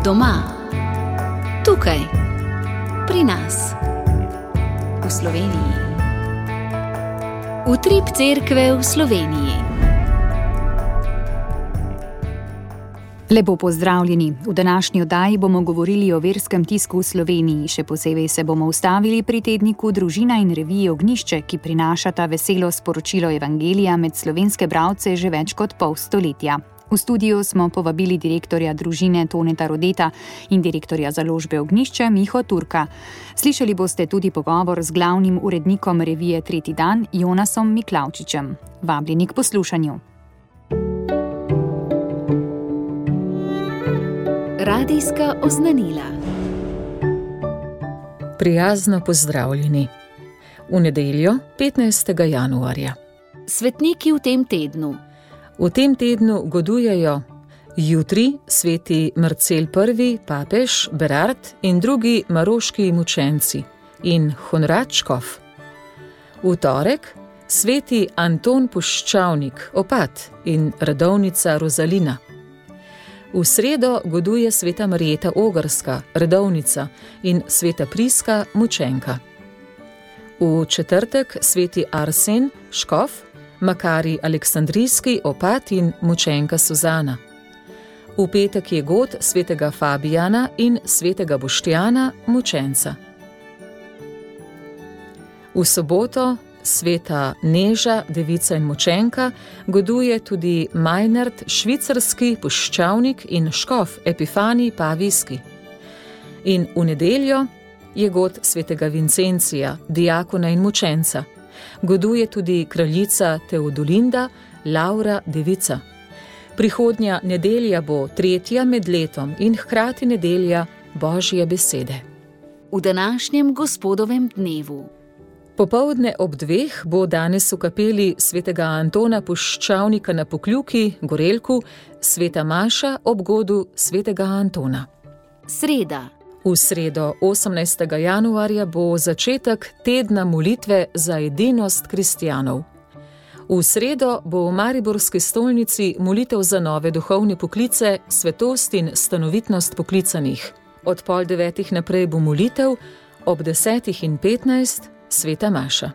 Doma, tukaj, pri nas, v Sloveniji. Utrip cerkve v Sloveniji. Lepo pozdravljeni. V današnji oddaji bomo govorili o verskem tisku v Sloveniji. Še posebej se bomo ustavili pri tedniku Družina in reviji Ognjišče, ki prinašata veselo sporočilo evangelija med slovenske bralce že več kot pol stoletja. V studiu smo povabili direktorja družine Toneta Rodeta in direktorja založbe Ognjišče Miho Turka. Slišali boste tudi pogovor z glavnim urednikom revije Tretji dan Jonasom Miklavčičem. Vabljeni k poslušanju. Radijska oznanila. Prijazno pozdravljeni. V nedeljo, 15. januarja. Svetniki v tem tednu. V tem tednu godujejo jutri sveti Marcel I, papež, Berard in drugi maroški mučenci in Honrad škof. V torek sveti Anton Puščavnik, opat in redovnica Rozalina. V sredo goduje sveta Marjeta Ogrska, redovnica in sveta Priska, mučenka. V četrtek sveti Arsen, škof, Makari Aleksandrijski, opat in mučenka Suzana. V petek je god svetega Fabijana in svetega Boštjana, mučenca. V soboto sveta Neža, devica in mučenka, goduje tudi Majnard, švicarski puščavnik in škof Epifani Pavijski. In v nedeljo je god svetega Vincencija, diakona in mučenca. Goduje tudi kraljica Teodolinda, Laura, devica. Prihodnja nedelja bo tretja med letom in hkrati nedelja Božje besede. V današnjem gospodovem dnevu. Popoldne ob 2 bo danes v kapeli svetega Antona Puščavnika na Pokljuki, Gorelku, sveta maša ob godu svetega Antona. Sreda. V sredo 18. januarja bo začetek tedna molitve za edinost kristjanov. V sredo bo v mariborski stolnici molitev za nove duhovne poklice, svetost in stanovitnost poklicanih. Od 8:30 naprej bo molitev, ob 10:15 sveta maša.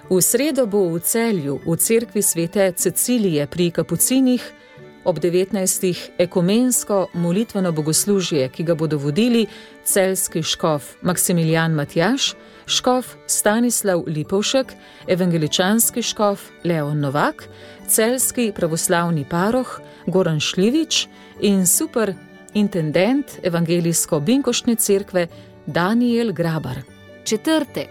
V sredo bo v Celju, v cerkvi svete Cecilije pri Kapucinih, ob 19. ekumensko molitveno bogoslužje, ki ga bodo vodili celjski škof Maksimilijan Matjaž, škof Stanislav Lipovšek, evangeličanski škof Leon Novak, celjski pravoslavni paroh Goran Šljivič in superintendent evangelijsko-binkoštne cerkve Daniel Grabar. Četrtek.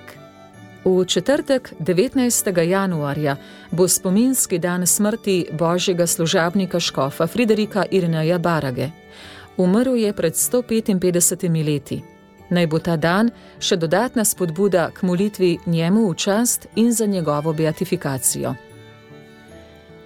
V četrtek, 19. januarja, bo spominski dan smrti božjega služabnika škofa Friderika Irineja Barage. Umrl je pred 155 leti. Naj bo ta dan še dodatna spodbuda k molitvi njemu v čast in za njegovo beatifikacijo.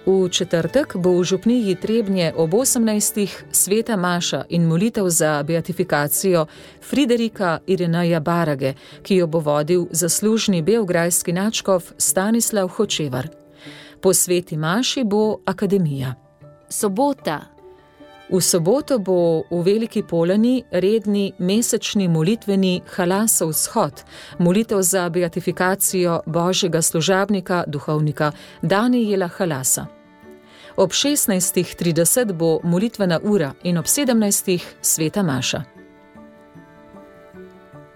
V četrtek bo v župniji Trebnje ob 18. sveta maša in molitev za beatifikacijo Friderika Irineja Barage, ki jo bo vodil zaslužni beograjski nadškof Stanislav Hočevar. Po sveti maši bo akademija. Sobota. V soboto bo v Veliki Polani redni mesečni molitveni Halasov shod, molitev za beatifikacijo božjega služabnika, duhovnika Danijela Halasa. Ob 16:30 bo molitvena ura in ob 17. sveta maša.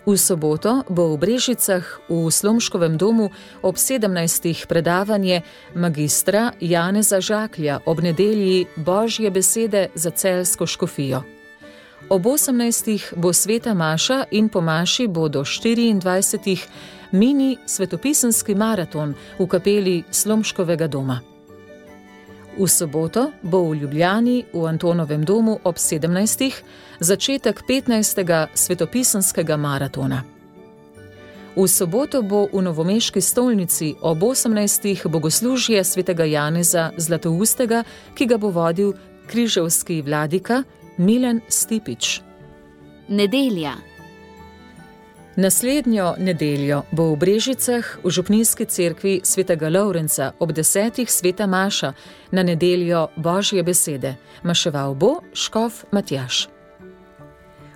V soboto bo v Brežicah v Slomškovem domu ob 17. predavanje magistra Janeza Žaklja ob nedelji Božje besede za celjsko škofijo. Ob 18. bo sveta maša in po maši bo do 24. mini svetopisenski maraton v kapeli Slomškovega doma. V soboto bo v Ljubljani v Antonovem domu ob 17. začetek 15. svetopisenskega maratona. V soboto bo v novomeški stolnici ob 18. bogoslužje svetega Janeza Zlatoustega, ki ga bo vodil križevski vladika Milan Stipič. Nedelja. Naslednjo nedeljo bo v Brežicah v župnijski cerkvi svetega Lovrenca ob 10. sveta maša na nedeljo Božje besede. Maševal bo škof Matjaž.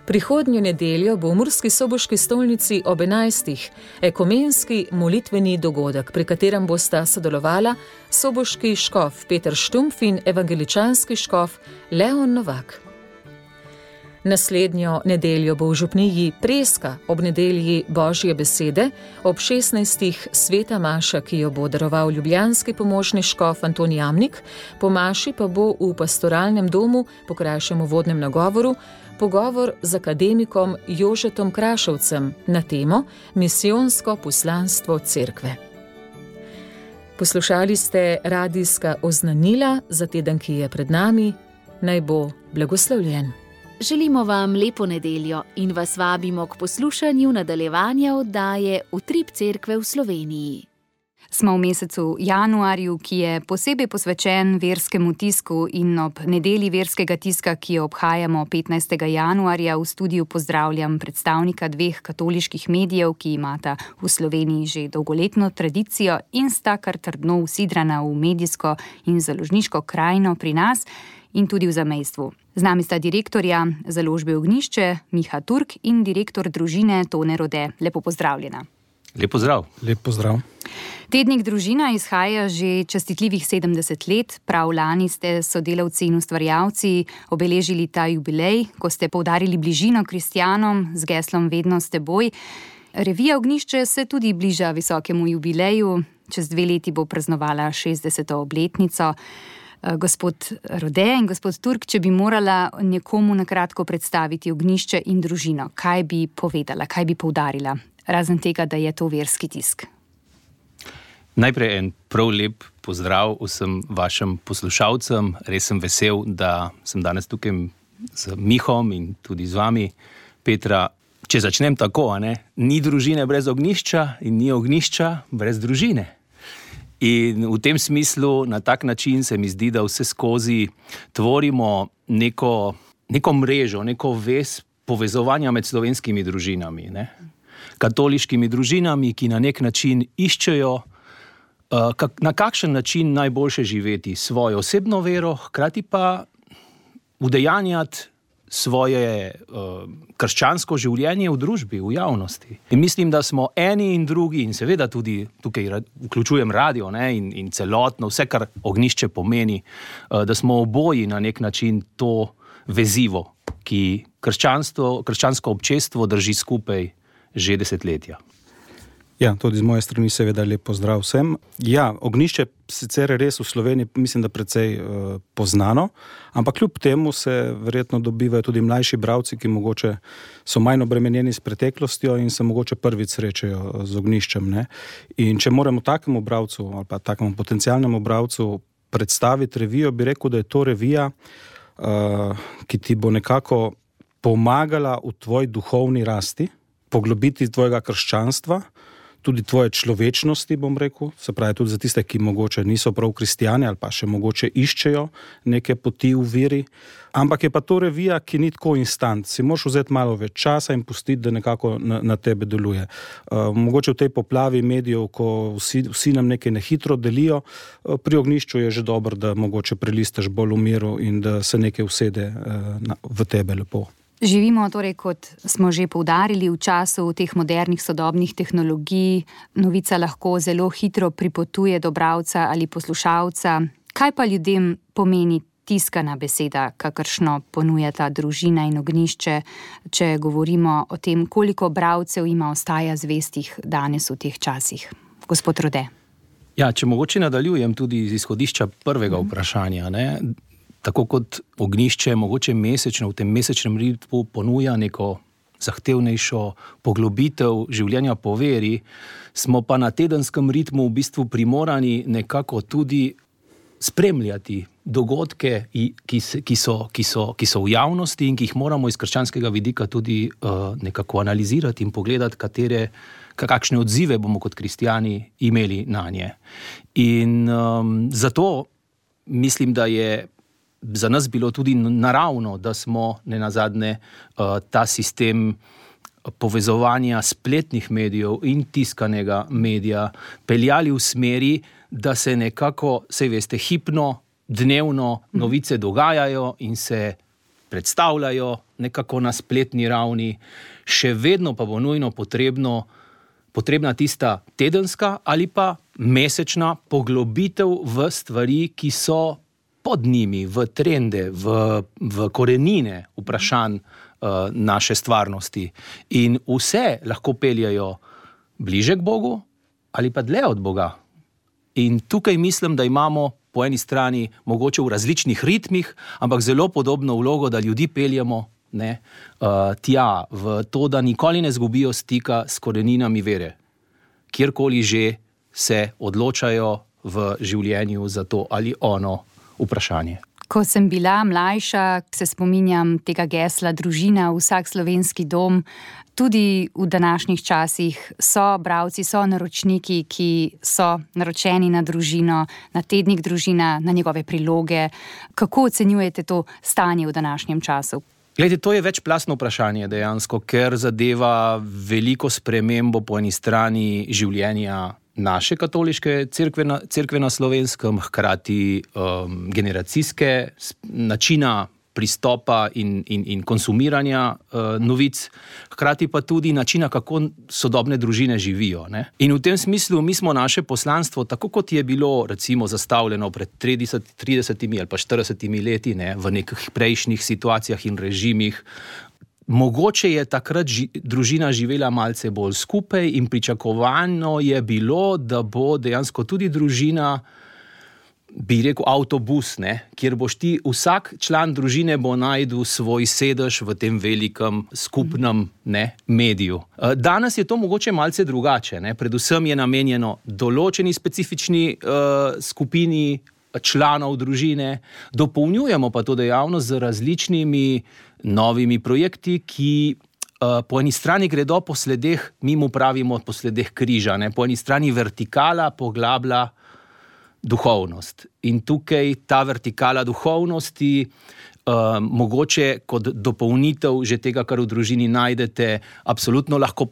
Prihodnjo nedeljo bo v Murski Soboški stolnici ob 11. ekumenski molitveni dogodek, pri katerem bosta sodelovala soboški škof Peter Štumpf in evangeličanski škof Leon Novak. Naslednjo nedeljo bo v župniji Preska ob nedelji Božje besede, ob 16. sveta maša, ki jo bo daroval ljubljanski pomožni škof Anton Jamnik, po maši pa bo v pastoralnem domu po krajšem uvodnem nagovoru pogovor z akademikom Jožetom Krašovcem na temo Misijonsko poslanstvo cerkve. Poslušali ste radijska oznanila za teden, ki je pred nami. Naj bo blagoslovljen. Želimo vam lepo nedeljo in vas vabimo k poslušanju nadaljevanja oddaje Utrip cerkve v Sloveniji. Smo v mesecu januarju, ki je posebej posvečen verskemu tisku, in ob nedelji verskega tiska, ki jo obhajamo 15. januarja, v studiu pozdravljam predstavnika dveh katoliških medijev, ki imata v Sloveniji že dolgoletno tradicijo in sta kar trdno usidrana v medijsko in založniško krajino pri nas in tudi v zamejstvu. Z nami sta direktorja založbe Ognjišče Miha Turk in direktor družine Tone Rode. Lepo pozdravljena. Lep pozdrav. Lep pozdrav. Tednik Družina izhaja že častitljivih 70 let. Prav lani ste sodelavci in ustvarjalci obeležili ta jubilej, ko ste poudarili bližino kristjanom z geslom Vedno s teboj. Revija Ognjišče se tudi bliža visokemu jubileju. Čez 2 leti bo praznovala 60. obletnico. Gospod Rode in gospod Turk, če bi morala nekomu na kratko predstaviti Ognjišče in družino, kaj bi povedala, kaj bi poudarila, razen tega, da je to verski tisk? Najprej en prav lep pozdrav vsem vašim poslušalcem. Res sem vesel, da sem danes tukaj z Mihom in tudi z vami, Petra. Če začnem tako, ni družine brez ognjišča in ni ognjišča brez družine. In v tem smislu, na tak način se mi zdi, da vse skozi tvorimo neko mrežo, neko vez povezovanja med slovenskimi družinami, katoliškimi družinami, ki na nek način iščejo, na kakšen način najboljše živeti svojo osebno vero, hkrati pa udejanjati svoje krščansko življenje v družbi, v javnosti. In mislim, da smo eni in drugi, in seveda tudi tukaj vključujem radio in celotno, vse, kar ognjišče pomeni, da smo oboji na nek način to vezivo, ki krščansko občestvo drži skupaj že desetletja. Ja, tudi z moje strani seveda lep pozdrav vsem. Ja, ognjišče sicer res v Sloveniji, mislim, da precej poznano, ampak kljub temu se verjetno dobivajo tudi mlajši bralci, ki mogoče so manj obremenjeni s preteklostjo in se mogoče prvič srečajo z ognjiščem. In če moramo takemu bralcu ali pa takemu potencialnemu bralcu predstaviti revijo, bi rekel, da je to revija, ki ti bo nekako pomagala v tvoji duhovni rasti, poglobiti tvojega krščanstva, tudi tvoje človečnosti, bom rekel, se pravi tudi za tiste, ki mogoče niso prav kristjani ali pa še mogoče iščejo neke poti v veri. Ampak je pa to revija, ki ni tako instant. Si moraš vzeti malo več časa in pustiti, da nekako na tebe deluje. Mogoče v tej poplavi medijev, ko vsi nam nekaj nehitro delijo, pri ognjišču je že dobro, da mogoče prelistaš bolj v miru in da se nekaj usede v tebe lepo. Živimo torej, kot smo že poudarili, v času teh modernih sodobnih tehnologij. Novica lahko zelo hitro pripotuje do bralca ali poslušalca. Kaj pa ljudem pomeni tiskana beseda, kakršno ponujata družina in ognjišče, če govorimo o tem, koliko bralcev ima ostaja zvestih danes v teh časih? Gospod Rode. Ja, če mogoče nadaljujem tudi iz izhodišča prvega vprašanja, tako kot ognjišče mogoče mesečno v tem mesečnem ritmu ponuja neko zahtevnejšo poglobitev življenja po veri, smo pa na tedenskem ritmu v bistvu primorani nekako tudi spremljati dogodke, ki so v javnosti in ki jih moramo iz krščanskega vidika tudi nekako analizirati in pogledati, kakšne odzive bomo kot kristjani imeli na nje. In zato mislim, da je za nas bilo tudi naravno, da smo nenazadnje ta sistem povezovanja spletnih medijev in tiskanega medija peljali v smeri, da se nekako, saj veste, hipno, dnevno novice dogajajo in se predstavljajo nekako na spletni ravni, še vedno pa bo nujno potrebna tista tedenska ali pa mesečna poglobitev v stvari, ki so pod njimi, v trende, v korenine vprašanj naše stvarnosti. In vse lahko peljajo bliže k Bogu ali pa dlje od Boga. In tukaj mislim, da imamo po eni strani mogoče v različnih ritmih, ampak zelo podobno vlogo, da ljudi peljemo tja, v to, da nikoli ne zgubijo stika s koreninami vere, kjerkoli že se odločajo v življenju za to ali ono vprašanje. Ko sem bila mlajša, se spominjam tega gesla družina, vsak slovenski dom. Tudi v današnjih časih so bralci, so naročniki, ki so naročeni na družino, na tednik Družina, na njegove priloge. Kako ocenjujete to stanje v današnjem času? Glede, to je večplastno vprašanje dejansko, ker zadeva veliko spremembo po eni strani življenja naše katoliške cerkve na Slovenskem, hkrati generacijske načina pristopa in konsumiranja novic, hkrati pa tudi načina, kako sodobne družine živijo. Ne? In v tem smislu mi smo naše poslanstvo, tako kot je bilo recimo zastavljeno pred 30 ali pa 40 leti, ne, v nekih prejšnjih situacijah in režimih, mogoče je takrat družina živela malce bolj skupaj in pričakovano je bilo, da bo dejansko tudi družina, bi rekel, avtobus, ne, kjer boš ti, vsak član družine bo najdel svoj sedež v tem velikem skupnem mediju. Danes je to mogoče malce drugače, ne, predvsem je namenjeno določeni specifični skupini članov družine, dopolnjujemo pa to dejavnost z različnimi novimi projekti, ki po eni strani gredo po sledeh, mi mu pravimo po sledeh križa, ne, po eni strani vertikala poglablja duhovnost. In tukaj ta vertikala duhovnosti, mogoče kot dopolnitev že tega, kar v družini najdete, absolutno lahko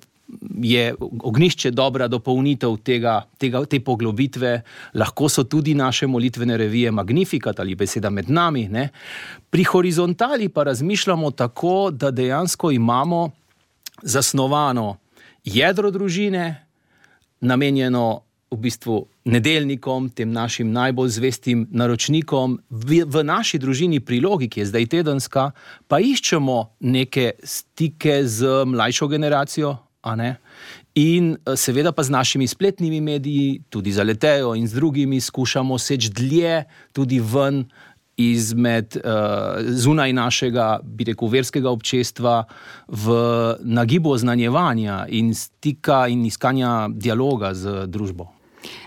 je ognjišče dobra dopolnitev te poglobitve, lahko so tudi naše molitvene revije Magnificat ali Beseda med nami. Ne? Pri horizontali pa razmišljamo tako, da dejansko imamo zasnovano jedro družine, namenjeno v bistvu nedeljnikom, tem našim najbolj zvestim naročnikom. V naši družini prilogi, ki je zdaj tedenska, pa iščemo neke stike z mlajšo generacijo, a ne? In seveda pa z našimi spletnimi mediji, tudi z Aletejo in z drugimi, skušamo seči dlje tudi ven izmed zunaj našega, bi rekel, verskega občestva v nagibu oznanjevanja in stika in iskanja dialoga z družbo.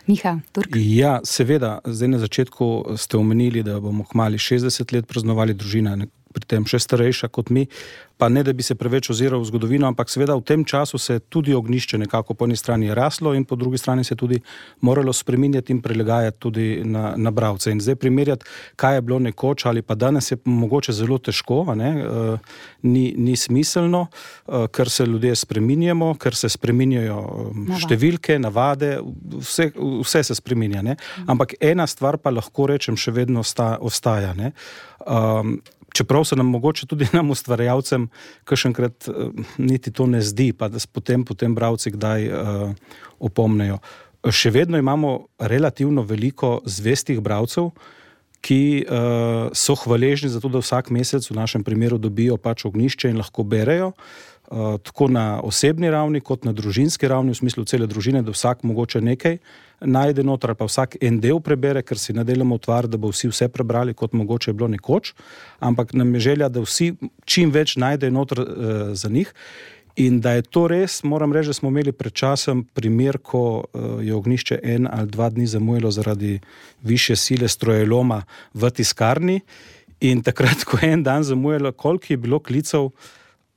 Miha, Turk? Ja, seveda, zdaj na začetku ste omenili, da bomo kmalu 60 let praznovali družina, pri tem še starejša kot mi, pa ne, da bi se preveč oziral v zgodovino, ampak seveda v tem času se tudi ognjišče nekako po eni strani raslo in po drugi strani se tudi moralo spreminjati in prilagajati tudi na bralce. In zdaj primerjati, kaj je bilo nekoč ali pa danes, je mogoče zelo težko, ni smiselno, ker se ljudje spreminjamo, ker se spreminjajo številke, navade, vse se spreminja. Ne? Ampak ena stvar pa lahko rečem še vedno ostaja. Ne? Čeprav se nam mogoče tudi nam ustvarjalcem kakšenkrat niti to ne zdi, pa da potem bralci kdaj opomnejo. Še vedno imamo relativno veliko zvestih bralcev, ki so hvaležni za to, da vsak mesec v našem primeru dobijo pač ognjišče in lahko berejo, tako na osebni ravni kot na družinski ravni, v smislu cele družine, da vsak mogoče nekaj najde noter, pa vsak en del prebere, ker si ne delamo utvar, da bo vsi vse prebrali, kot mogoče je bilo nekoč, ampak nam je želja, da vsi čim več najdejo noter za njih. In da je to res, moram reči, da smo imeli pred časem primer, ko je ognjišče 1 ali 2 dni zamujalo zaradi višje sile strojeloma v tiskarni in takrat, ko je en dan zamujalo, koliko je bilo klicev,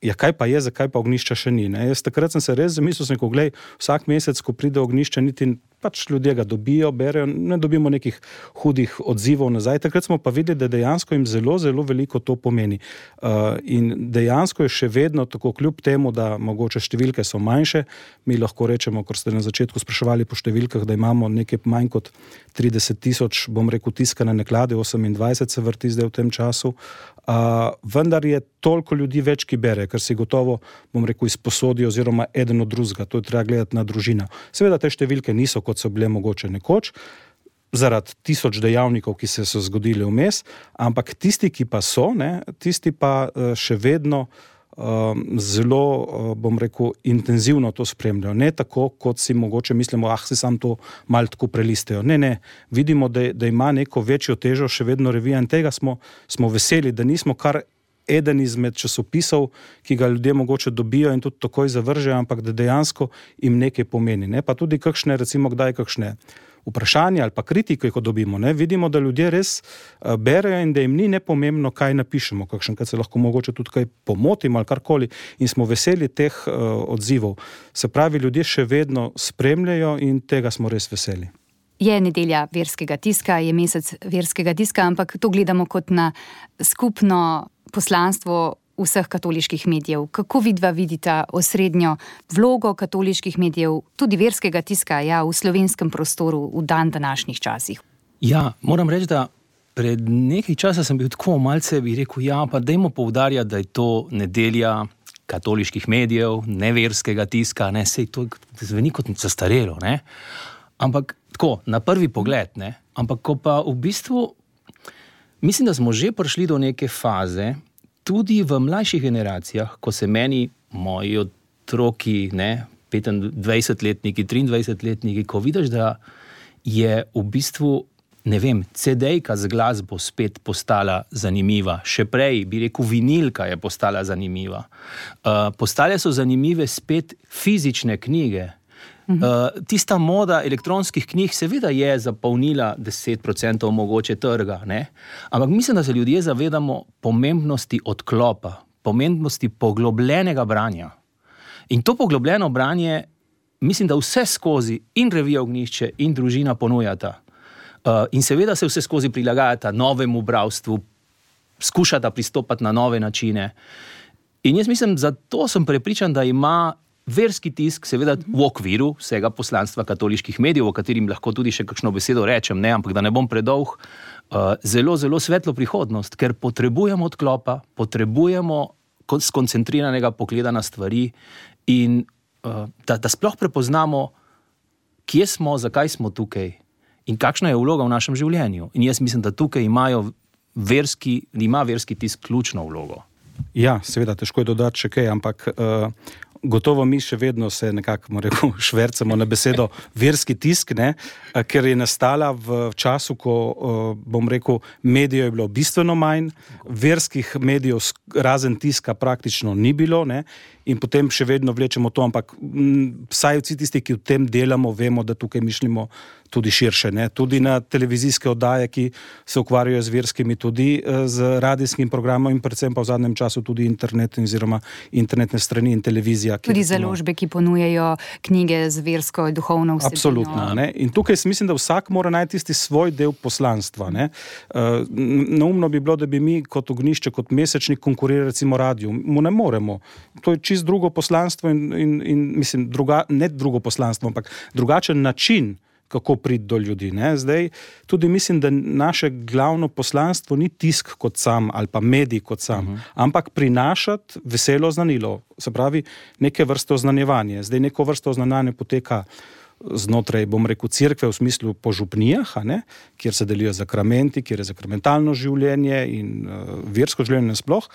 ja, kaj pa je, zakaj pa ognjišča še ni. Ne? Jaz takrat sem se res zamislil, ko glej, vsak mesec, ko pride ognjišče, niti pač ljudje ga dobijo, berejo, ne dobimo nekih hudih odzivov nazaj. Takrat smo pa videli, da dejansko jim zelo, zelo veliko to pomeni. In dejansko je še vedno tako, kljub temu, da mogoče številke so manjše, mi lahko rečemo, ker ste na začetku spraševali po številkah, da imamo nekaj manj kot 30,000, bom rekel, tiskane naklade, 28 se vrti zdaj v tem času, vendar je toliko ljudi več, ki bere, ker si gotovo, bom rekel, izposodijo oziroma eden od drugega, to je treba gledati na družino. Seveda te številke niso, kot so bile mogoče nekoč, zaradi 1000 dejavnikov, ki so zgodili vmes, ampak tisti, ki pa so, tisti pa še vedno zelo, bom rekel, intenzivno to spremljajo. Ne tako, kot si mogoče mislimo, si sam to malo tako prelistejo. Ne, vidimo, da ima neko večjo težo še vedno revija in tega smo veseli, da nismo kar eden izmed časopisov, ki ga ljudje mogoče dobijo in tudi takoj zavržejo, ampak da dejansko jim nekaj pomeni. Ne? Pa tudi kakšne, recimo, kdaj kakšne vprašanja ali pa kritike, ko dobimo. Vidimo, da ljudje res berejo in da jim ni nepomembno, kaj napišemo, kakšenkrat se lahko mogoče tudi kaj pomotimo ali karkoli in smo veseli teh odzivov. Se pravi, ljudje še vedno spremljajo in tega smo res veseli. Je nedelja verskega tiska, je mesec verskega tiska, ampak to gledamo kot na skupno poslanstvo vseh katoliških medijev. Kako vidva vidita osrednjo vlogo katoliških medijev, tudi verskega tiska, v slovenskem prostoru v današnjih časih? Ja, moram reči, da pred nekaj časa sem bil tako malce, bi rekel, pa dajmo poudarjati, da je to nedelja katoliških medijev, ne verskega tiska, sej to zveni kot zastarelo, ampak tako, na prvi pogled, ampak ko pa v bistvu mislim, da smo že prišli do neke faze, tudi v mlajših generacijah, ko se meni, moji otroki, 25-letniki, 23-letniki, ko vidiš, da je v bistvu, CD-jka z glasbo spet postala zanimiva. Še prej, bi rekel, vinilka je postala zanimiva. Postale so zanimive spet fizične knjige. Tista moda elektronskih knjig seveda je zapolnila 10% mogoče trga, ampak mislim, da se ljudje zavedamo pomembnosti odklopa, pomembnosti poglobljenega branja. In to poglobljeno branje, mislim, da vse skozi in revija Ognjišče in Družina ponujata. In seveda se vse skozi prilagajata novemu bralstvu, skušata pristopati na nove načine. In jaz mislim, zato sem prepričan, da ima verski tisk, seveda v okviru vsega poslanstva katoliških medijev, o katerim lahko tudi še kakšno besedo rečem, ampak da ne bom predolg, zelo, zelo svetlo prihodnost, ker potrebujemo odklopa, potrebujemo skoncentriranega pogleda na stvari in da sploh prepoznamo, kje smo, zakaj smo tukaj in kakšna je vloga v našem življenju. In jaz mislim, da tukaj ima verski tisk ključno vlogo. Ja, seveda, težko je dodati še kaj, ampak gotovo mi še vedno se nekako švercamo na besedo verski tisk, ker je nastala v času, ko, bom rekel, medijev je bilo bistveno manj, verskih medijev razen tiska praktično ni bilo, in potem še vedno vlečemo to, ampak vsaj vsi tisti, ki v tem delamo, vemo, da tukaj mišljimo tudi širše, tudi na televizijske oddaje, ki se ukvarjajo z verskimi, tudi z radijskim programom in predvsem pa v zadnjem času tudi internet oziroma internetne strani in televizija. Tudi založbe, ki ponujajo knjige z versko in duhovno vsebino. Absolutno. In tukaj mislim, da vsak mora najti tisti svoj del poslanstva. Neumno bi bilo, da bi mi kot Ognjišče, kot mesečnik konkurirali recimo radiju. Mu ne moremo. To je čisto drugo poslanstvo in mislim, ne drugo poslanstvo, ampak drugačen način, kako priti do ljudi. Zdaj, tudi mislim, da naše glavno poslanstvo ni tisk kot sam ali pa medij kot sam, ampak prinašati veselo oznanilo, se pravi neke vrste oznanjevanje. Zdaj neko vrste oznanjevanje poteka znotraj, bom rekel, cerkve v smislu po župnijah, kjer se delijo zakramenti, kjer je zakramentalno življenje in versko življenje nasploh.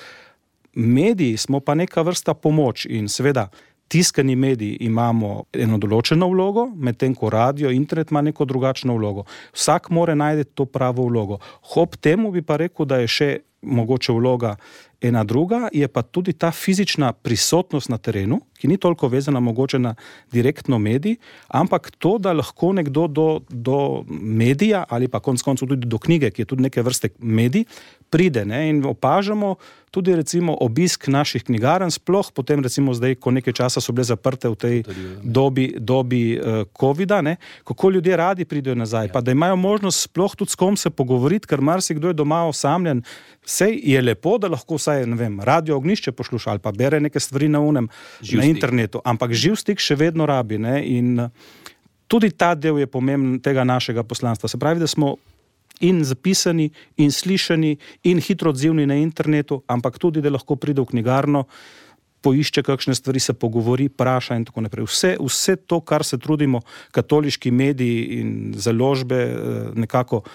Mediji smo pa neka vrsta pomoč in seveda tiskani mediji imamo eno določeno vlogo, medtem ko radio, internet ima neko drugačno vlogo. Vsak mora najti to pravo vlogo. Ob temu bi pa rekel, da je še mogoče vloga ena druga je pa tudi ta fizična prisotnost na terenu, ki ni toliko vezana mogoče na direktno medij, ampak to, da lahko nekdo do medija ali pa konec koncev tudi do knjige, ki je tudi neke vrste medij, pride, ne, in opažamo tudi recimo obisk naših knjigarn, sploh potem recimo zdaj, ko nekaj časa so bile zaprte v tej dobi covida, ne, kako ljudje radi pridejo nazaj, pa da imajo možnost sploh tudi s kom se pogovoriti, ker marsikdo je doma osamljen. Sej je lepo, da lahko vsaj, ne vem, Radio Ognjišče posluša ali pa bere neke stvari na internetu, ampak živ stik še vedno rabi, ne, in tudi ta del je pomemben tega našega poslanstva. Se pravi, da smo in zapisani, in slišani, in hitro odzivni na internetu, ampak tudi, da lahko pride v knjigarno, poišče kakšne stvari, se pogovori, praša in tako naprej. Vse to, kar se trudimo katoliški mediji in založbe nekako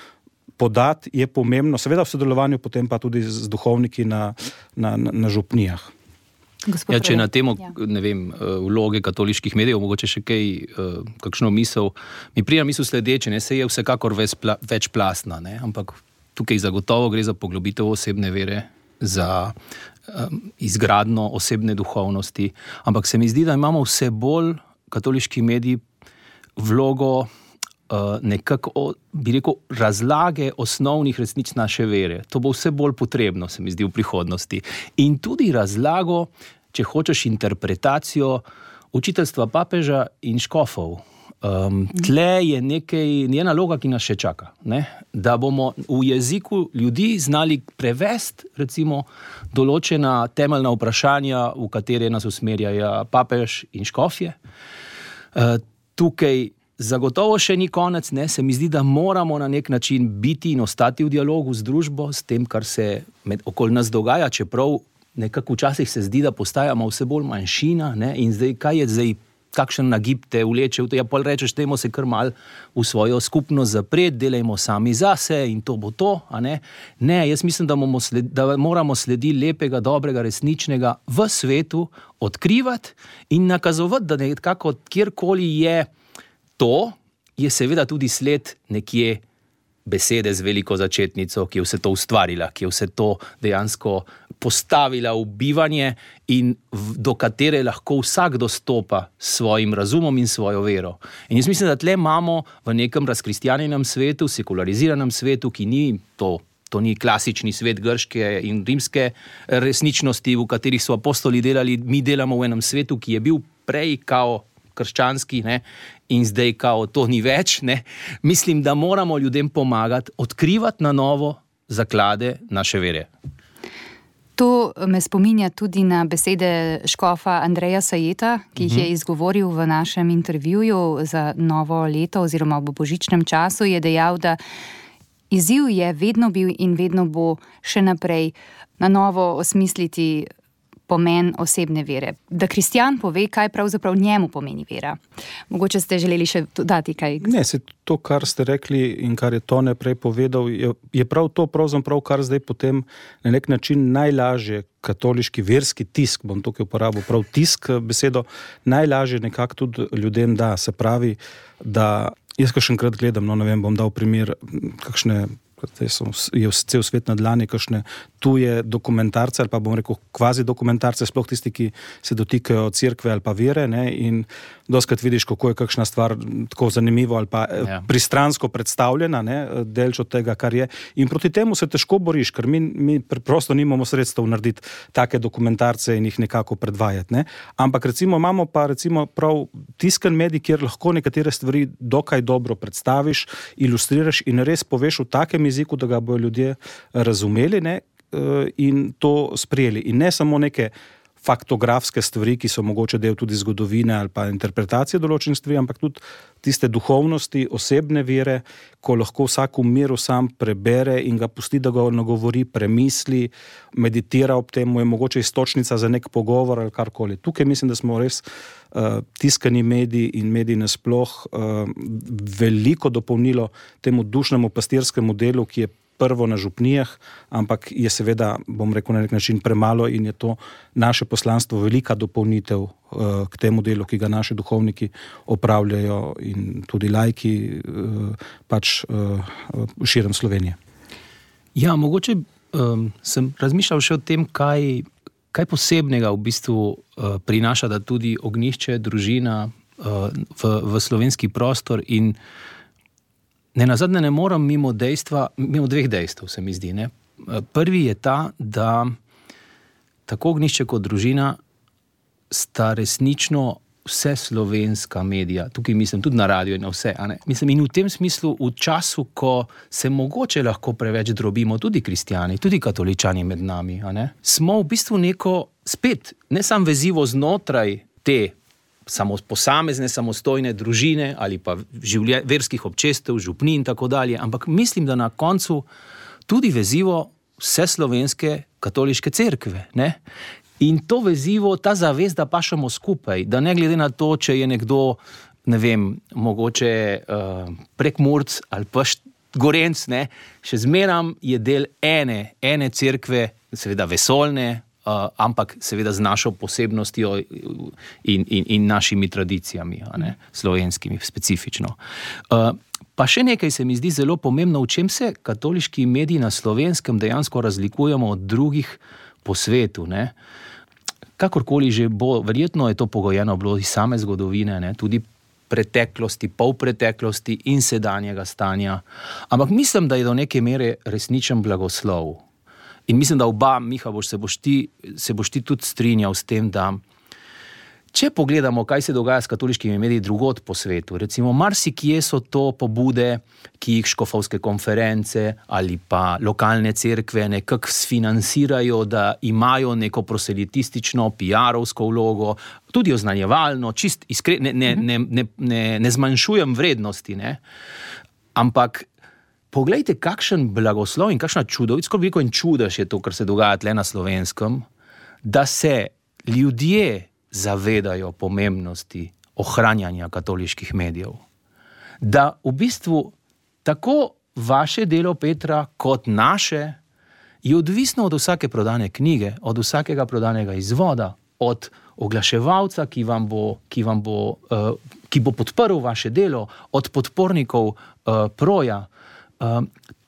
podati, je pomembno, seveda v sodelovanju potem pa tudi z duhovniki na župnijah. Ja, če na temo, ne vem, vloge katoliških medijev, mogoče še kakšno misel, mi prija misel sledeče, ne, se je vsekakor večplastna, ne, ampak tukaj zagotovo gre za poglobitev osebne vere, za izgradnjo osebne duhovnosti, ampak se mi zdi, da imamo vse bolj katoliški mediji vlogo nekako, bi rekel, razlage osnovnih resnic naše vere. To bo vse bolj potrebno, se mi zdi, v prihodnosti. In tudi razlago, če hočeš, interpretacijo učiteljstva papeža in škofov. Tle je je naloga, ki nas še čaka, ne? Da bomo v jeziku ljudi znali prevesti, recimo, določena temeljna vprašanja, v katere nas usmerjajo papež in škofje. Tukaj zagotovo še ni konec, ne? Se mi zdi, da moramo na nek način biti in ostati v dialogu z družbo, s tem, kar se okoli nas dogaja, čeprav nekako včasih se zdi, da postajamo vse bolj manjšina, ne? In zdaj, kaj je zdaj, kakšen nagib te vleče v to, ja, pol rečeš, dajmo se kar mal v svojo skupnost zapreti, delajmo sami zase in to bo to, a ne? Ne, jaz mislim, da moramo slediti lepega, dobrega, resničnega v svetu, odkrivati in nakazovati, da nekako kjerkoli je to, je seveda tudi sled nekje besede z veliko začetnico, ki je vse to ustvarila, ki je vse to dejansko postavila v bivanje in do katere lahko vsak dostopa s svojim razumom in svojo vero. In jaz mislim, da tle imamo v nekem razkristjanjenem svetu, sekulariziranem svetu, ki ni to ni klasični svet grške in rimske resničnosti, v katerih so apostoli delali, mi delamo v enem svetu, ki je bil prej kao krščanski, ne, in zdaj kao to ni več, ne. Mislim, da moramo ljudem pomagati odkrivati na novo zaklade naše vere. To me spominja tudi na besede škofa Andreja Sajeta, ki jih je izgovoril v našem intervjuju za novo leto oziroma v božičnem času. Je dejal, da izziv je vedno bil in vedno bo še naprej na novo osmisliti pomen osebne vere. Da kristjan pove, kaj pravzaprav njemu pomeni vera. Mogoče ste želeli še dodati kaj? Ne, se to, kar ste rekli in kar je Tone prej povedal, je prav to, pravzaprav, kar zdaj potem na nek način najlažje katoliški verski tisk, bom tukaj uporabil prav tisk besedo, najlažje nekako tudi ljudem da. Se pravi, da jaz kakšenkrat gledam, no ne vem, bom dal primer, kakšne je cel svet na dlani, kakšne tuje dokumentarce ali pa bom rekel kvazi dokumentarce, sploh tisti, ki se dotikajo cerkve ali pa vere, ne, in dostikrat vidiš, kako je kakšna stvar tako zanimivo ali pa pristransko predstavljena, ne, delč od tega, kar je. In proti temu se težko boriš, ker mi preprosto nimamo sredstev narediti take dokumentarce in jih nekako predvajati, ne. Ampak recimo imamo pa recimo prav tiskan medij, kjer lahko nekatere stvari dokaj dobro predstaviš, ilustriraš in res poveš v takem jeziku, da ga bojo ljudje razumeli, ne, in to sprejeli. In ne samo neke faktografske stvari, ki so mogoče del tudi zgodovine ali pa interpretacije določenih stvari, ampak tudi tiste duhovnosti, osebne vere, ko lahko vsak v miru sam prebere in ga pusti, da ga nagovori, premisli, meditira ob tem, je mogoče istočnica za nek pogovor ali karkoli. Tukaj mislim, da smo res tiskani mediji in mediji nasploh veliko dopolnilo temu dušnemu pastirskemu delu, ki je prvo na župnijah, ampak je seveda, bom rekel, na nek način premalo in je to naše poslanstvo velika dopolnitev k temu delu, ki ga naši duhovniki opravljajo in tudi laiki pač širom Slovenije. Ja, mogoče sem razmišljal še o tem, kaj posebnega v bistvu prinaša, da tudi ognjišče, družina v slovenski prostor in nenazadnje ne morem mimo dveh dejstev, se mi zdi. Ne? Prvi je ta, da tako ognjišče kot družina sta resnično vse slovenska medija, tukaj mislim tudi na radio in na vse, a ne? Mislim, in v tem smislu v času, ko se mogoče lahko preveč drobimo, tudi kristjani, tudi katoličani med nami, a ne? Smo v bistvu neko spet, ne samo vezivo znotraj te posamezne, samostojne družine ali pa verskih občestev, župni in tako dalje, ampak mislim, da na koncu tudi vezivo vse slovenske katoliške cerkve, ne? In to vezivo, ta zavest, da pašemo skupaj, da ne glede na to, če je nekdo, ne vem, mogoče Prekmurec ali pa Gorenc, ne, še zmeram je del ene cerkve, seveda vesoljne, ampak seveda z našo posebnostjo in našimi tradicijami, a ne, slovenskimi specifično. Pa še nekaj se mi zdi zelo pomembno, v čem se katoliški mediji na Slovenskem dejansko razlikujemo od drugih po svetu, ne. Kakorkoli že bo, verjetno je to pogojeno bilo iz same zgodovine, ne, tudi preteklosti, polpreteklosti in sedanjega stanja. Ampak mislim, da je do neke mere resničen blagoslov. In mislim, da oba, Miha, se boš ti tudi strinjal s tem, da če pogledamo, kaj se dogaja s katoliškimi mediji drugod po svetu, recimo marsikje so to pobude, ki jih škofovske konference ali pa lokalne cerkve nekako sfinancirajo, da imajo neko proselitistično, PR-ovsko vlogo, tudi oznanjevalno, čist iskreno, ne zmanjšujem vrednosti, ne? Ampak poglejte, kakšen blagoslov in kakšna čudovitsko veliko in čudež je to, kar se dogaja tle na Slovenskem, da se ljudje zavedajo pomembnosti ohranjanja katoliških medijev. Da v bistvu tako vaše delo, Petra, kot naše je odvisno od vsake prodane knjige, od vsakega prodanega izvoda, od oglaševalca, ki bo podprl vaše delo, od podpornikov Proja.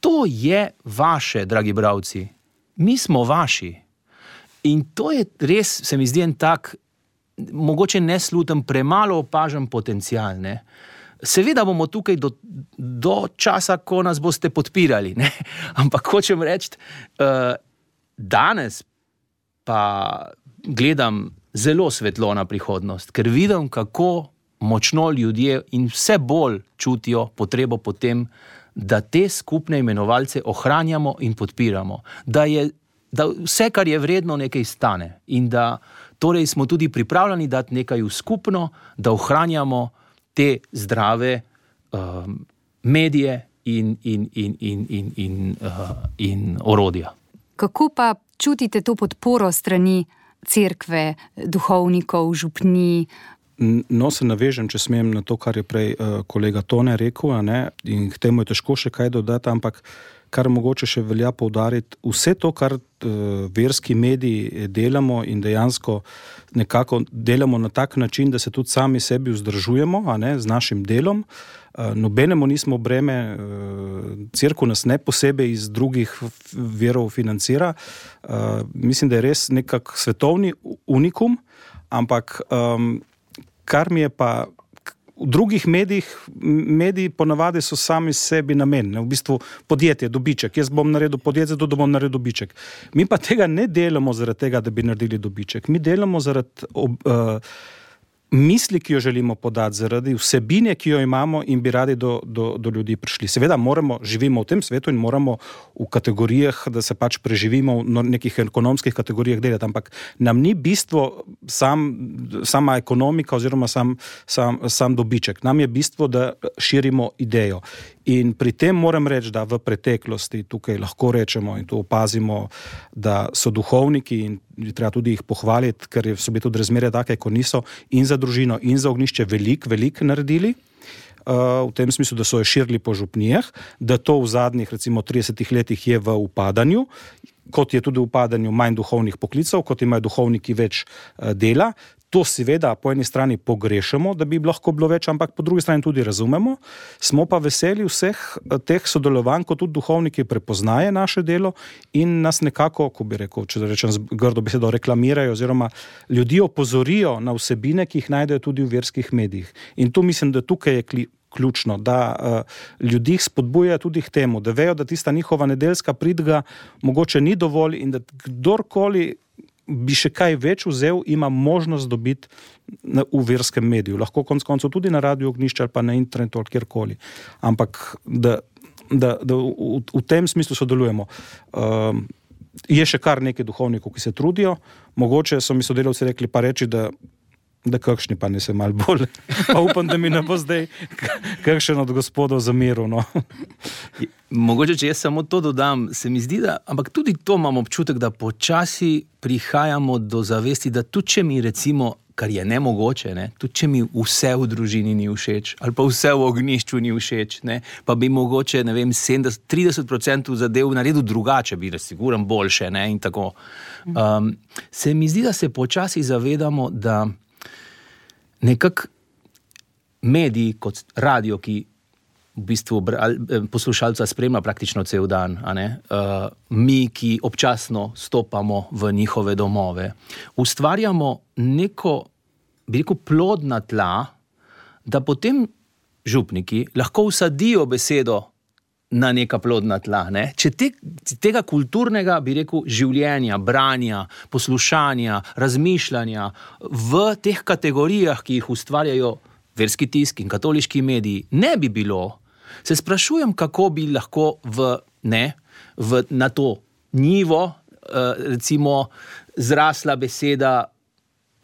To je vaše, dragi bralci. Mi smo vaši. In to je res, se mi zdi en tak, mogoče nesluten, premalo opažen potencial, ne. Seveda bomo tukaj do časa, ko nas boste podpirali, ne. Ampak hočem reči, danes pa gledam zelo svetlo na prihodnost, ker vidim, kako močno ljudje in vse bolj čutijo potrebo po tem, da te skupne imenovalce ohranjamo in podpiramo. Da vse, kar je vredno, nekaj stane in da torej smo tudi pripravljeni dati nekaj v skupno, da ohranjamo te zdrave medije in orodja. Kako pa čutite to podporo strani cerkve, duhovnikov, župni? No, se navežem, če smem, na to, kar je prej kolega Tone rekel, ne? In k temu je težko še kaj dodati, ampak kar mogoče še velja poudariti, vse to, kar verski mediji delamo in dejansko nekako delamo na tak način, da se tudi sami sebi vzdržujemo, a ne, z našim delom. Nobenemu nismo breme, cerkev nas ne posebej iz drugih verov financira. Mislim, da je res nekak svetovni unikum, ampak kar mi je pa v drugih mediji ponavadi so sami sebi namen, v bistvu podjetje, dobiček. Jaz bom naredil podjetje, zato da bom naredil dobiček. Mi pa tega ne delamo zaradi tega, da bi naredili dobiček. Mi delamo zaradi misli, ki jo želimo podati, zaradi vsebine, ki jo imamo in bi radi do ljudi prišli. Seveda živimo v tem svetu in moramo v kategorijah, da se pač preživimo v nekih ekonomskih kategorijah delati, ampak nam ni bistvo sama ekonomika oziroma sam dobiček. Nam je bistvo, da širimo idejo. In pri tem moram reči, da v preteklosti tukaj lahko rečemo in to opazimo, da so duhovniki in treba tudi jih pohvaliti, ker so bili tudi razmere take, ko niso in za družino in za ognjišče veliko naredili, v tem smislu, da so jo širili po župnijah, da to v zadnjih recimo 30 letih je v upadanju, kot je tudi v upadanju manj duhovnih poklicev, kot imajo duhovniki več dela. To seveda po eni strani pogrešamo, da bi lahko bilo več, ampak po drugi strani tudi razumemo. Smo pa veseli vseh teh sodelovanj, ko tudi duhovniki prepoznaje naše delo in nas nekako, ko bi rekel, če rečem z grdo besedo, reklamirajo oziroma ljudi opozorijo na vsebine, ki jih najdejo tudi v verskih medijih. In tu mislim, da tukaj je ključno, da ljudi spodbuja tudi k temu, da vejo, da tista njihova nedeljska pridga mogoče ni dovolj in da kdorkoli bi še kaj več vzel, ima možnost dobiti v verskem mediju. Lahko konec koncev tudi na Radiu Ognjišče ali pa na internetu ali kjerkoli. Ampak da v tem smislu sodelujemo. Je še kar nekaj duhovnikov, ki se trudijo. Mogoče so mi sodelavci rekli pa reči, da kakšni pa ne se malo bolj. Pa upam, da mi ne bo zdaj kakšen od gospodov zameril. No. Mogoče, če jaz samo to dodam, se mi zdi, da, ampak tudi to imam občutek, da počasi prihajamo do zavesti, da tudi če mi recimo, kar je nemogoče, tudi če mi vse v družini ni všeč, ali pa vse v Ognjišču ni všeč, pa bi mogoče, 30% zadev naredil drugače, bi razsiguran boljše, in tako. Se mi zdi, da se počasi zavedamo, da nekako mediji kot radio, ki v bistvu poslušalca spremlja praktično cel dan, mi, ki občasno stopamo v njihove domove, ustvarjamo neko, bi rekel, plodna tla, da potem župniki lahko vsadijo besedo na neka plodna tla. Če tega kulturnega, bi rekel, življenja, branja, poslušanja, razmišljanja v teh kategorijah, ki jih ustvarjajo verski tisk in katoliški mediji, ne bi bilo, se sprašujem, kako bi lahko na to njivo recimo zrasla beseda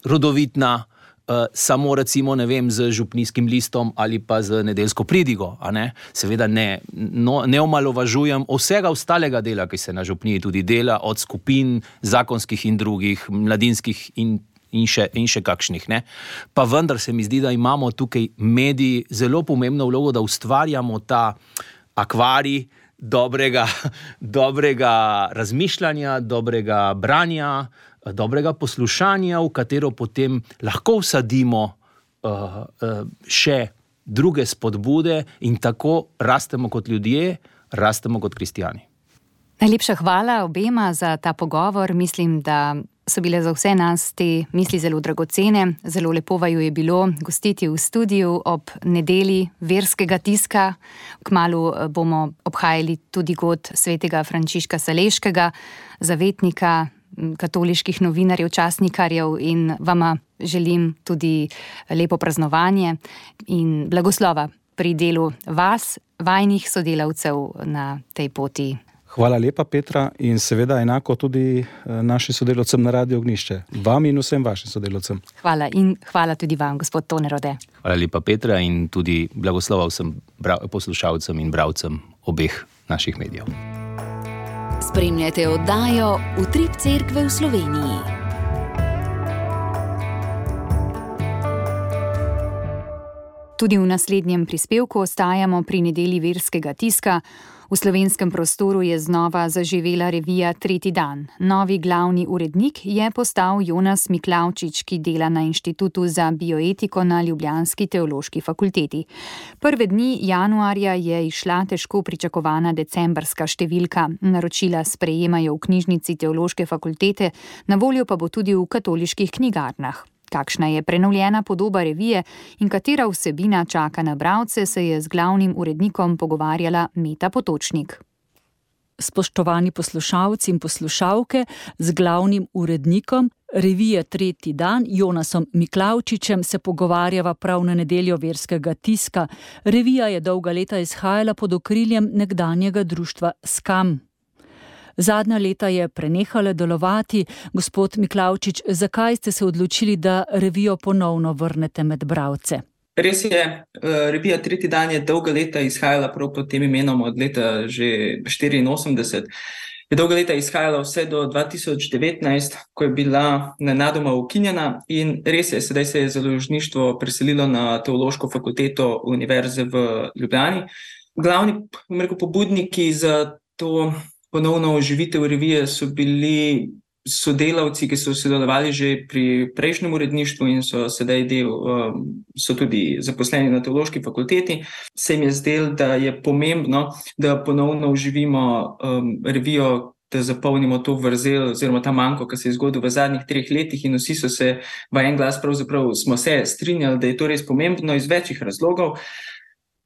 rodovitna, samo recimo, z župnijskim listom ali pa z nedeljsko pridigo, Seveda ne omalovažujem vsega ostalega dela, ki se na župniji tudi dela, od skupin zakonskih in drugih, mladinskih in še kakšnih, Pa vendar se mi zdi, da imamo tukaj mediji zelo pomembno vlogo, da ustvarjamo ta akvarij dobrega razmišljanja, dobrega branja, dobrega poslušanja, v katero potem lahko vsadimo še druge spodbude in tako rastemo kot ljudje, rastemo kot kristjani. Najlepša hvala obema za ta pogovor. Mislim, da so bile za vse nas te misli zelo dragocene. Zelo lepo vaju je bilo gostiti v studiu ob nedelji verskega tiska. Kmalu bomo obhajali tudi god svetega Frančiška Saleškega, zavetnika katoliških novinarjev, časnikarjev, in vama želim tudi lepo praznovanje in blagoslova pri delu vas, vajnih sodelavcev na tej poti. Hvala lepa, Petra, in seveda enako tudi našim sodelavcem na Radiu Ognjišče. Vam in vsem vašim sodelavcem. Hvala in hvala tudi vam, gospod Tone Rode. Hvala lepa, Petra, in tudi blagoslova vsem poslušalcem in bralcem obeh naših medijev. Spremljate oddajo Utrip Cerkve v Sloveniji. Tudi v naslednjem prispevku ostajamo pri nedelji verskega tiska. V slovenskem prostoru je znova zaživela revija Tretji dan. Novi glavni urednik je postal Jonas Miklavčič, ki dela na Inštitutu za bioetiko na ljubljanski teološki fakulteti. Prve dni januarja je izšla težko pričakovana decembrska številka. Naročila sprejemajo v knjižnici teološke fakultete, na voljo pa bo tudi v katoliških knjigarnah. Kakšna je prenovljena podoba revije in katera vsebina čaka na bralce, se je z glavnim urednikom pogovarjala Meta Potočnik. Spoštovani poslušalci in poslušalke, z glavnim urednikom revije Tretji dan, Jonasom Miklavčičem, se pogovarjava prav na nedeljo verskega tiska. Revija je dolga leta izhajala pod okriljem nekdanjega društva Skam. Zadnja leta je prenehala delovati. Gospod Miklavčič, zakaj ste se odločili, da revijo ponovno vrnete med bralce? Res je, revija Tretji dan je dolga leta izhajala prav pod tem imenom od leta že 84. Je dolga leta izhajala vse do 2019, ko je bila nenadoma ukinjena, in res je, sedaj se je založništvo preselilo na Teološko fakulteto Univerze v Ljubljani. Glavni pobudniki za to ponovno oživitev revije so bili sodelavci, ki so sodelovali že pri prejšnjem uredništvu in so sedaj so tudi zaposleni na Teološki fakulteti. Se jim je zdelo, da je pomembno, da ponovno oživimo revijo, da zapolnimo to vrzel oziroma ta manko, ki se je zgodil v zadnjih 3 letih, in vsi so se v en glas pravzaprav smo se strinjali, da je to res pomembno iz večjih razlogov.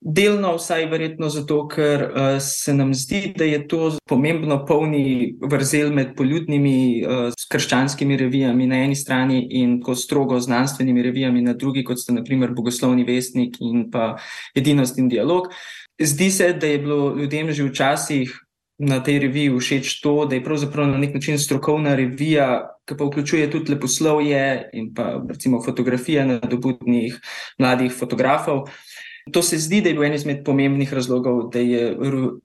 Delno vsaj verjetno zato, ker se nam zdi, da je to pomembno polni vrzel med poljudnimi krščanskimi revijami na eni strani in tako strogo znanstvenimi revijami na drugi, kot sta na primer Bogoslovni vestnik in pa Edinost in dialog. Zdi se, da je bilo ljudem že včasih na tej reviji všeč to, da je pravzaprav na nek način strokovna revija, ki pa vključuje tudi leposlovje in pa recimo fotografije nadobudnih mladih fotografov. To se zdi, da je bil en izmed pomembnih razlogov, da je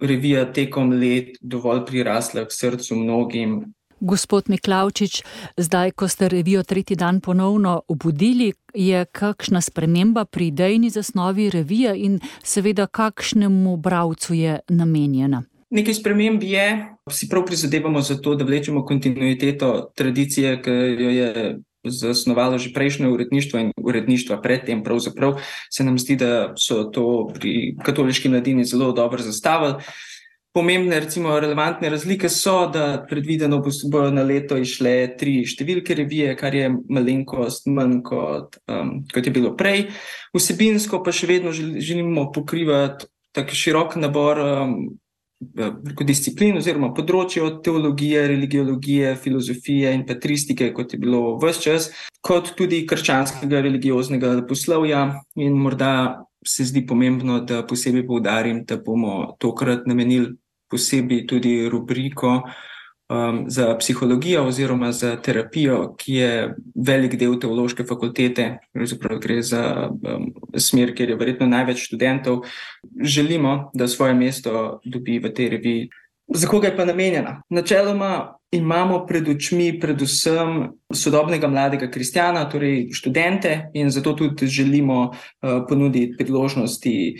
revija tekom let dovolj prirasla k srcu mnogim. Gospod Miklavčič, zdaj, ko ste revijo Tretji dan ponovno obudili, je kakšna sprememba pri idejni zasnovi revije in seveda kakšnemu bralcu je namenjena? Nekaj sprememb je, si prav prizadevamo za to, da vlečemo kontinuiteto tradicije, ki jo je zasnovalo že prejšnje uredništvo in uredništva predtem. Pravzaprav se nam zdi, da so to pri katoliški mladini zelo dobro zastavili. Pomembne, recimo relevantne razlike so, da predvideno bodo na leto išle 3 številke revije, kar je malenkost manj kot je bilo prej. Vsebinsko pa še vedno želimo pokrivati tak širok nabor disciplin oziroma področje od teologije, religiologije, filozofije in patristike, kot je bilo ves čas, kot tudi krščanskega religioznega leposlovja. In morda se zdi pomembno, da posebej poudarim, da bomo tokrat namenili posebej tudi rubriko za psihologijo oziroma za terapijo, ki je velik del Teološke fakultete. Gre za smer, kjer je verjetno največ študentov. Želimo, da svoje mesto dobi v tej reviji. Za koga je pa namenjena? Načeloma imamo pred očmi predvsem sodobnega mladega kristjana, torej študente, in zato tudi želimo ponuditi priložnosti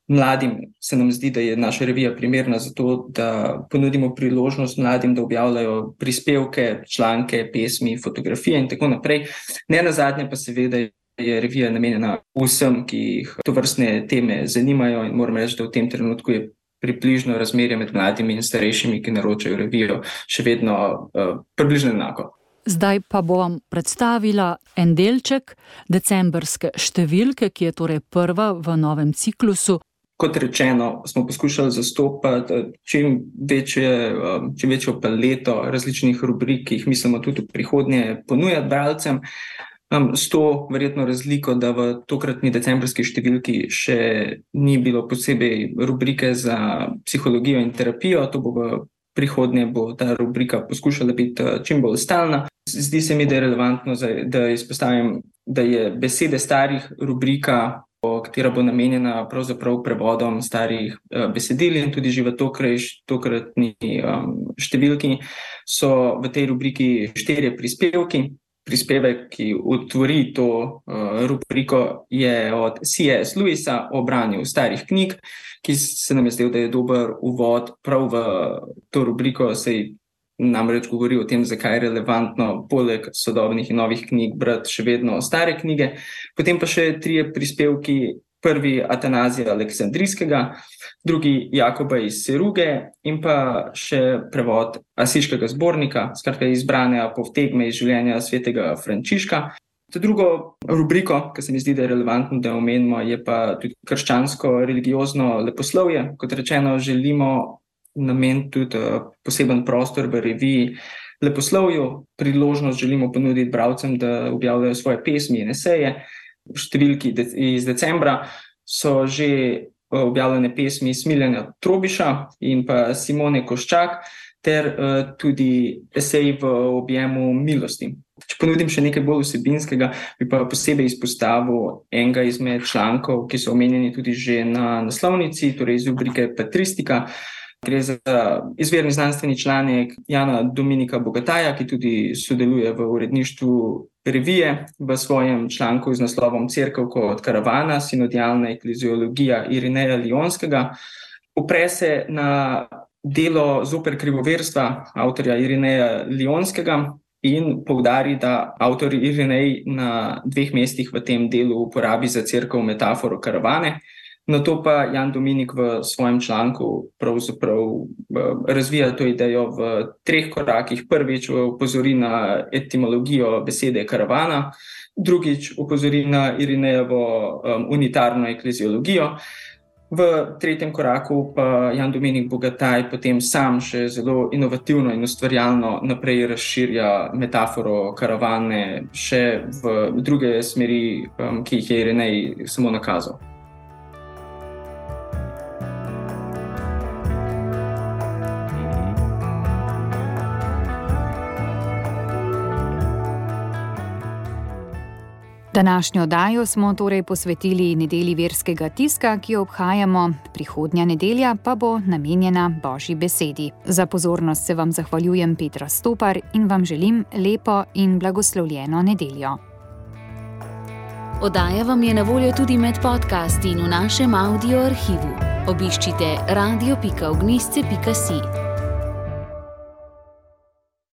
mladim. Se nam zdi, da je naša revija primerna za to, da ponudimo priložnost mladim, da objavljajo prispevke, članke, pesmi, fotografije in tako naprej. Ne nazadnje pa seveda je revija namenjena vsem, ki jih tovrstne teme zanimajo, in moram reči, da v tem trenutku je približno razmerje med mladimi in starejšimi, ki naročajo revijo, še vedno približno enako. Zdaj pa bom vam predstavila en delček decembrske številke, ki je torej prva v novem ciklusu. Kot rečeno, smo poskušali zastopati čim večjo paleto različnih rubrik, ki jih mislimo tudi v prihodnje ponujati bralcem. S to verjetno razliko, da v tokratni decembrski številki še ni bilo posebej rubrike za psihologijo in terapijo. To bo v prihodnje ta rubrika poskušala biti čim bolj stalna. Zdi se mi, da je relevantno, da izpostavim, da je Besede starih rubrika, katera bo namenjena pravzaprav prevodom starih besedil, in tudi že v tokratni številki so v tej rubriki 4 prispevki. Prispevek, ki otvori to rubriko, je od C.S. Lewisa o branju starih knjig, ki se nam je zdel, da je dober uvod prav v to rubriko, saj namreč govori o tem, zakaj je relevantno poleg sodobnih in novih knjig brati še vedno stare knjige. Potem pa še 3 prispevki. Prvi Atanazija Aleksandrijskega, drugi Jakoba iz Seruge in pa še prevod Asiškega zbornika, skratka izbrane povtegme iz življenja svetega Frančiška. To drugo rubriko, ki se mi zdi, da je relevantno, da omenimo, je pa tudi krščansko religiozno leposlovje. Kot rečeno, želimo nameniti tudi poseben prostor v reviji leposlovju. Priložnost želimo ponuditi bralcem, da objavljajo svoje pesmi in eseje. V številki iz decembra so že objavljene pesmi Smiljana Trobiša in pa Simone Koščak ter tudi eseji v objemu milosti. Če ponudim še nekaj bolj vsebinskega, bi pa posebej izpostavil enega izmed člankov, ki so omenjeni tudi že na naslovnici, torej iz rubrike Patristika. Gre za izvirni znanstveni članek Jana Dominika Bogataja, ki tudi sodeluje v uredništvu revije, v svojem članku z naslovom Cerkev kot karavana, sinodialna ekleziologija Irineja Lionskega. Opre se na delo Zoper krivoverstva avtorja Irineja Lionskega in poudari, da avtor Irinej na 2 mestih v tem delu uporabi za cerkev metaforo karavane. Nato pa Jan Dominik v svojem članku pravzaprav razvija to idejo v 3 korakih. Prvič opozori na etimologijo besede karavana, drugič opozori na Irinejevo unitarno ekleziologijo. V 3. koraku pa Jan Dominik Bogataj potem sam še zelo inovativno in ustvarjalno naprej razširja metaforo karavane še v druge smeri, ki jih je Irinej samo nakazal. Današnjo oddajo smo torej posvetili nedelji verskega tiska, ki jo obhajamo, prihodnja nedelja pa bo namenjena Božji besedi. Za pozornost se vam zahvaljujem, Petra Stopar, in vam želim lepo in blagoslovljeno nedeljo. Oddaja vam je na voljo tudi med podcasti in v našem audio arhivu. Obiščite radio.ognisce.si.